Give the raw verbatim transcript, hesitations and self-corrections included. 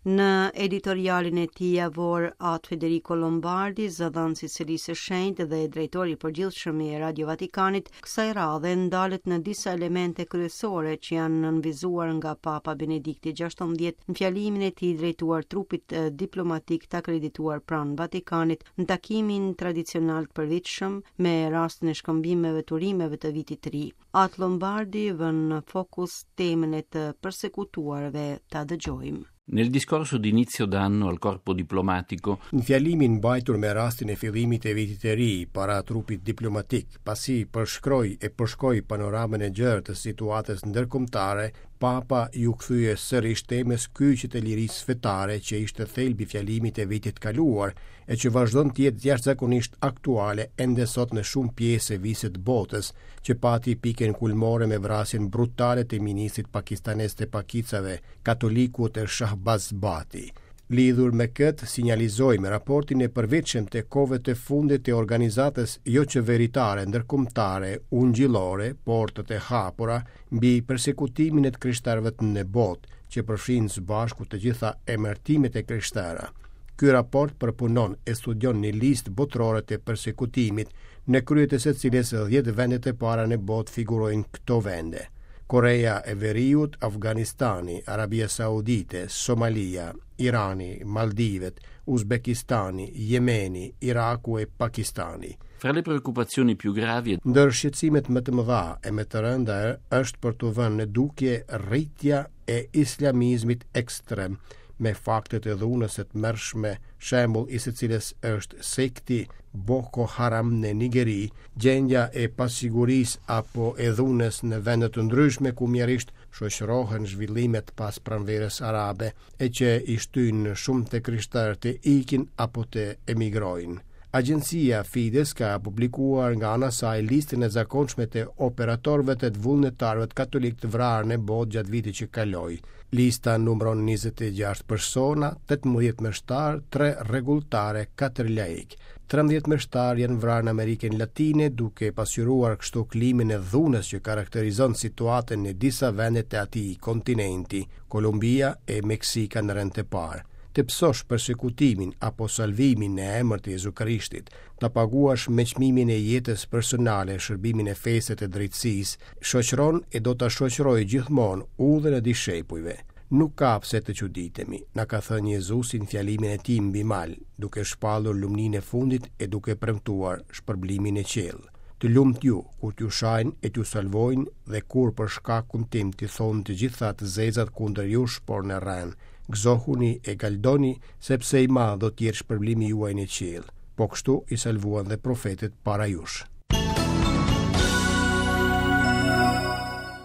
Në editorialin e tij javor, At Federico Lombardi, zëdhënës i Selisë së Shenjtë dhe drejtori i përgjithshëm i Radio Vatikanit, kësaj radhe ndalet në disa elemente kryesore që janë nënvizuar nga Papa Benedikti gjashtëmbëdhjetë në fjalimin e tij drejtuar trupit diplomatik të akredituar pranë Vatikanit në takimin tradicional të përvitshëm me rastin e shkëmbimeve të urimeve të vitit të ri. At Lombardi vën në fokus temën e të persekutuarve. Ta dëgjojmë. Nel discorso di inizio d'anno al corpo diplomatico, Në fjalimin mbajtur me rastin e fillimit të vitit të ri para trupit diplomatik, pasi përshkroi e përshkoi panoramën e gjerë të situatës ndërkombëtare, Papa iu kthye sërish temës kyçe të lirisë fetare që ishte thelbi i fjalimit të vitit kaluar e që vazhdon të jetë jashtëzakonisht aktuale ende sot në shumë pjesë e vise të botës, që pati pikën kulmore me vrasjen brutale të ministrit pakistanez të pakicave, katolikut e Shahbaz Bhatti. Lidhur me këtë, sinjalizojmë raportin e përvitshëm të kohëve të fundit të organizatës joqeveritare ndërkombëtare ungjillore, Portët e Hapura, mbi persekutimin e të krishterëve në botë, që përfshin së bashku të gjitha emërtimet e krishtera. Ky raport përpunon e studion një listë botërore të persekutimit, në krye të së cilës dhjetë vendet e para në botë figurojnë këto vende: Korea e Veriut, Afganistani, Arabia Saudite, Somalia, Irani, Maldivet, Uzbekistani, Jemeni, Iraku e Pakistani. Fra le preoccupazioni più gravi Ndër shqetësimet më të mëdha e më të rënda është për të vënë në dukje rritja e islamizmit ekstrem me faktet e dhunës së tmerrshme, shembull i së cilës është sekti Boko Haram në Nigeri, gjendja e pasigurisë apo e dhunës në vende të ndryshme ku mjerisht shoqërohen zhvillimet pas pranverës arabe e që i shtyjnë shumë të krishterë të ikin apo të emigrojnë. Agjencia Fides ka publikuar nga ana saj listën e zakonshme të operatorëve të vullnetarëve katolik të vrarë në botë gjatë vitit që kaloi. Lista numëron njëzet e gjashtë persona, tetëmbëdhjetë meshtar, tre rregulltare, katër laik. Trembëdhjetë meshtar janë vrarë në Amerikën Latine, duke pasqyruar kështu klimën e dhunës që karakterizon situatën në disa vende të atij kontinenti, Kolumbia e Meksika në rend të parë. Të pësosh persekutimin apo salvimin në emër të Jezu Krishtit, ta paguash me çmimin e jetës personale shërbimin e fesë të drejtësisë, shoqëron e do ta shoqërojë gjithmonë udhën e dishepujve. Nuk ka pse të çuditemi, na ka thënë Jezusi në fjalimin e tij mbi mal, duke shpallur lumninë e fundit e duke premtuar shpërblimin e qiell. Të lumt ju, kur t'ju shajnë e t'ju salvojnë dhe kur për shkakun tim t'i thonë të gjitha të zezat kundër jush, por në rren. Gëzohuni e galdoni, sepse i madh do të jetë shpërblimi juaj në qiell. Po kështu i salvuan dhe profetët para jush.